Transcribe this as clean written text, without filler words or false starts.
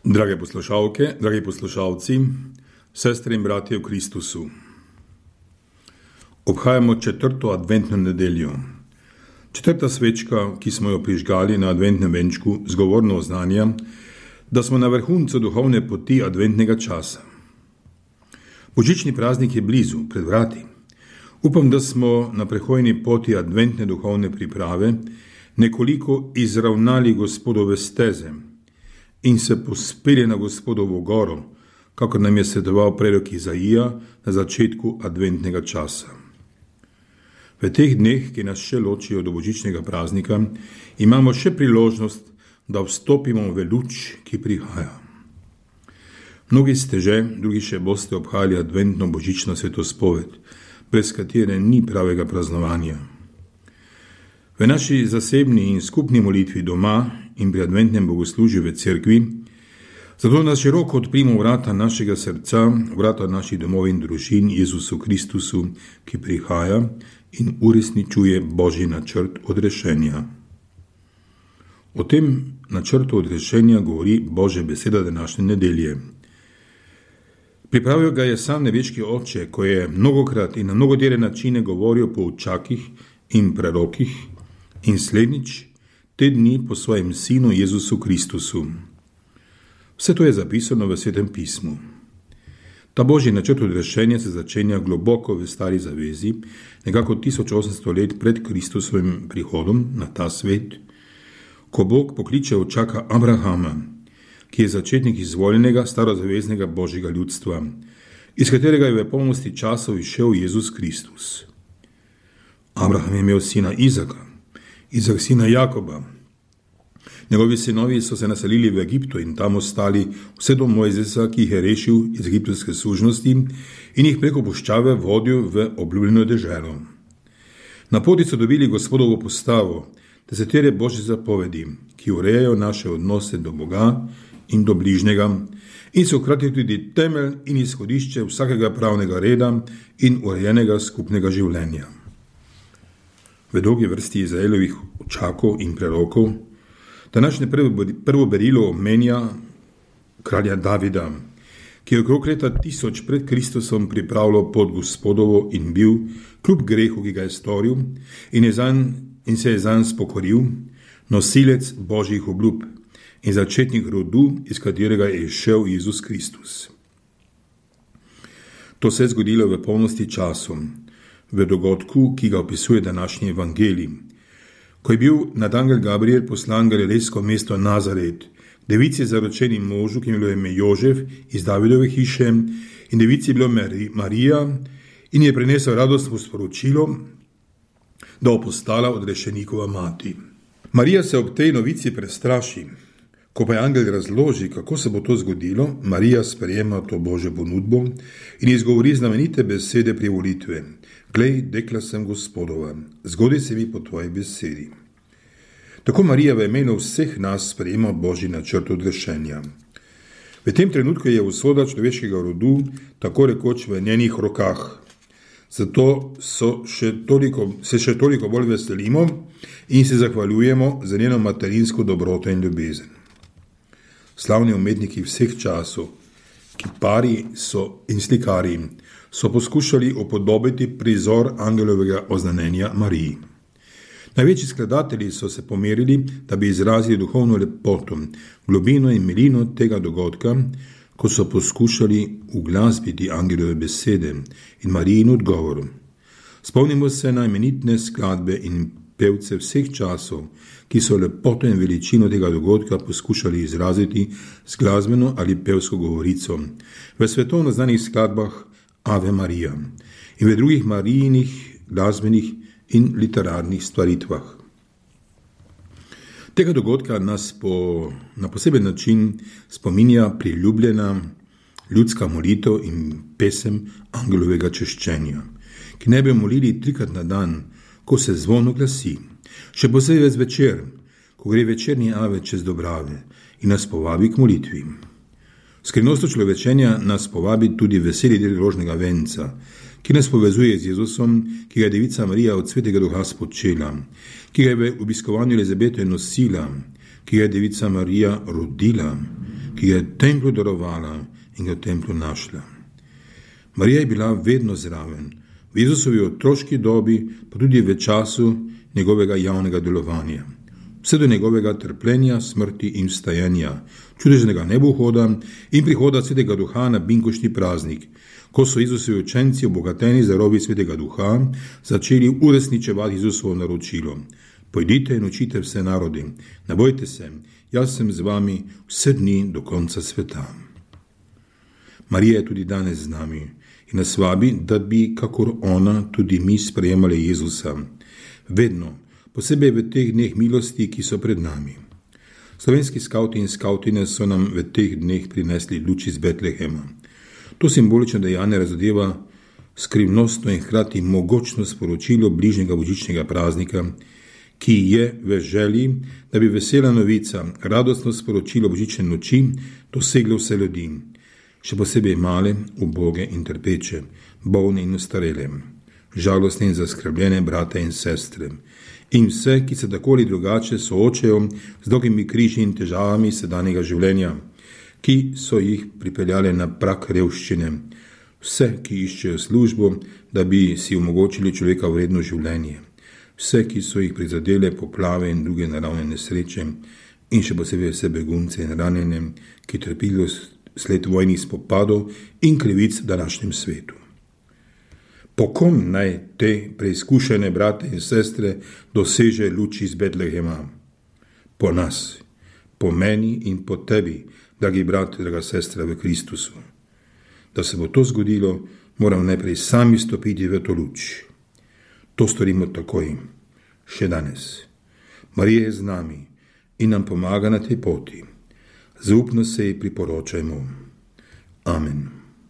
Drage poslušalke, dragi poslušalci, sestre in bratje v Kristusu. Obhajamo 4. adventno nedeljo. 4. svečka, ki smo jo prižgali na adventnem venčku, zgovorno oznanja, da smo na vrhuncu duhovne poti adventnega časa. Božični praznik je blizu, pred vrati. Upam, da smo na prehojni poti adventne duhovne priprave nekoliko izravnali Gospodove steze in se pospeli na Gospodovo goro, kakor nam je svetoval prerok Izaija na začetku adventnega časa. V teh dneh, ki nas še ločijo do božičnega praznika, imamo še priložnost, da vstopimo v luč, ki prihaja. Mnogi ste že, drugi še boste obhajali adventno božično svetospoved, brez katere ni pravega praznovanja. V naši zasebni in skupni molitvi doma in pri adventnem bogoslužju v cerkvi, zato nas široko odprimo vrata našega srca, vrata naših domov in družin Jezusu Kristusu, ki prihaja in uresničuje Božji načrt odrešenja. O tem načrtu odrešenja govori Božja beseda današnje nedelje. Pripravil ga je sam nebeški Oče, ko je mnogokrat in na mnogotere načine govoril po učakih in prerokih in slednjič te dni po svojem sinu Jezusu Kristusu. Vse to je zapisano v Svetem pismu. Ta Božji načrt odrešenja se začenja globoko v stari zavezi, nekako 1800 let pred Kristusovim prihodom na ta svet, ko Bog pokliče očaka Abrahama, ki je začetnik izvoljenega starozaveznega Božjega ljudstva, iz katerega je v polnosti časov izšel Jezus Kristus. Abraham je imel sina Izaka, Izak sina Jakoba. Njegovi sinovi so se naselili v Egiptu in tam ostali vse do Mojzesa, ki jih je rešil iz egiptovske sužnosti in jih preko puščave vodil v obljubljeno deželo. Na poti so dobili Gospodovo postavo, desetere Božje zapovedi, ki urejajo naše odnose do Boga in do bližnjega in so hkrati tudi temelj in izhodišče vsakega pravnega reda in urejenega skupnega življenja. V dolgi vrsti Izraelovih očakov in prerokov današnje prvo berilo omenja kralja Davida, ki je okrog leta 1000 pred Kristusom pripravljal pot Gospodovo in bil, kljub grehu, ki ga je storil, in se je zanj spokoril, nosilec Božjih obljub in začetnik rodu, iz katerega je izšel Jezus Kristus. To se je zgodilo v polnosti času, v dogodku, ki ga opisuje današnji evangelij, ko je bil nadangel Gabriel poslan galilejsko mesto Nazaret, devici zaročeni možu, ki je bilo ime Jožef iz Davidove hiše, in devici je bilo Marija, in je prinesel radostno sporočilo, da bo postala odrešenikova mati. Marija se ob tej novici prestraši. Ko pa je angel razloži, kako se bo to zgodilo, Marija sprejema to Božjo ponudbo in izgovori znamenite besede privolitve. Glej, dekla sem Gospodova, zgodi se mi po tvoji besedi. Tako Marija v imenu vseh nas sprejema Božji načrt odrešenja. V tem trenutku je usoda človeškega rodu tako rekoč v njenih rokah. Zato se še toliko bolj veselimo in se zahvaljujemo za njeno materinsko dobroto in ljubezen. Slavni umetniki vseh časov, kipari in slikari, so poskušali upodobiti prizor angelovega oznanjenja Mariji. Največji skladatelji so se pomerili, da bi izrazili duhovno lepoto, globino in milino tega dogodka, ko so poskušali uglasbiti angelove besede in Marijin odgovor. Spomnimo se na imenitne skladbe in pevce vseh časov, ki so lepoto in veličino tega dogodka poskušali izraziti z glasbeno ali pevsko govorico v svetovno znanih skladbah Ave Marija in v drugih Marijinih glasbenih in literarnih stvaritvah. Tega dogodka nas na poseben način spominja priljubljena ljudska molitev in pesem angelovega češčenja, ki ne bi molili 3krat na dan, ko se zvon oglasi, še posebej zvečer, ko gre večerni ave čez Dobrave in nas povabi k molitvi. Skrivnost človečenja nas povabi tudi veseli del rožnega venca, ki nas povezuje z Jezusom, ki ga je devica Marija od Svetega Duha spočela, ki ga je v obiskovanju Elizabete nosila, ki ga je devica Marija rodila, ki je templu darovala in ga v templu našla. Marija je bila vedno zraven, v Jezusovi otroški dobi, pa tudi v času njegovega javnega delovanja. Vse do njegovega trpljenja, smrti in vstajanja, čudežnega nebohoda in prihoda Svetega Duha na binkoštni praznik, ko so Jezusovi učenci, obogateni z darovi Svetega Duha, začeli uresničevati Jezusovo naročilo. Pojdite in učite vse narode, ne bojte se, jaz sem z vami vse dni do konca sveta. Marija je tudi danes z nami in nas vabi, da bi, kakor ona, tudi mi sprejemali Jezusa. Vedno, posebej v teh dneh milosti, ki so pred nami. Slovenski skavti in skavtine so nam v teh dneh prinesli luč iz Betlehema. To simbolično dejanje razodeva skrivnostno in hkrati mogočno sporočilo bližnjega božičnega praznika, ki je v želji, da bi vesela novica, radostno sporočilo božične noči doseglo vse ljudi, še posebej male, uboge in trpeče, bolne in ostarele, žalostne in zaskrbljene brate in sestre in vse, ki se tako ali drugače soočajo z dolgimi križi in težavami sedanjega življenja, ki so jih pripeljale na prag revščine, vse, ki iščejo službo, da bi si omogočili človeka vredno življenje, vse, ki so jih prizadele poplave in druge naravne nesreče in še posebej vse begunce in ranjene, ki trpijo sled vojnih spopadov in krivic v današnjem svetu. Po kom naj te preizkušene brate in sestre doseže luč iz Betlehema? Po nas, po meni in po tebi, dragi brat, draga sestra v Kristusu. Da se bo to zgodilo, moramo najprej sami stopiti v to luč. To storimo takoj, še danes. Marija je z nami in nam pomaga na tej poti. Zaupno se ji priporočajmo. Amen.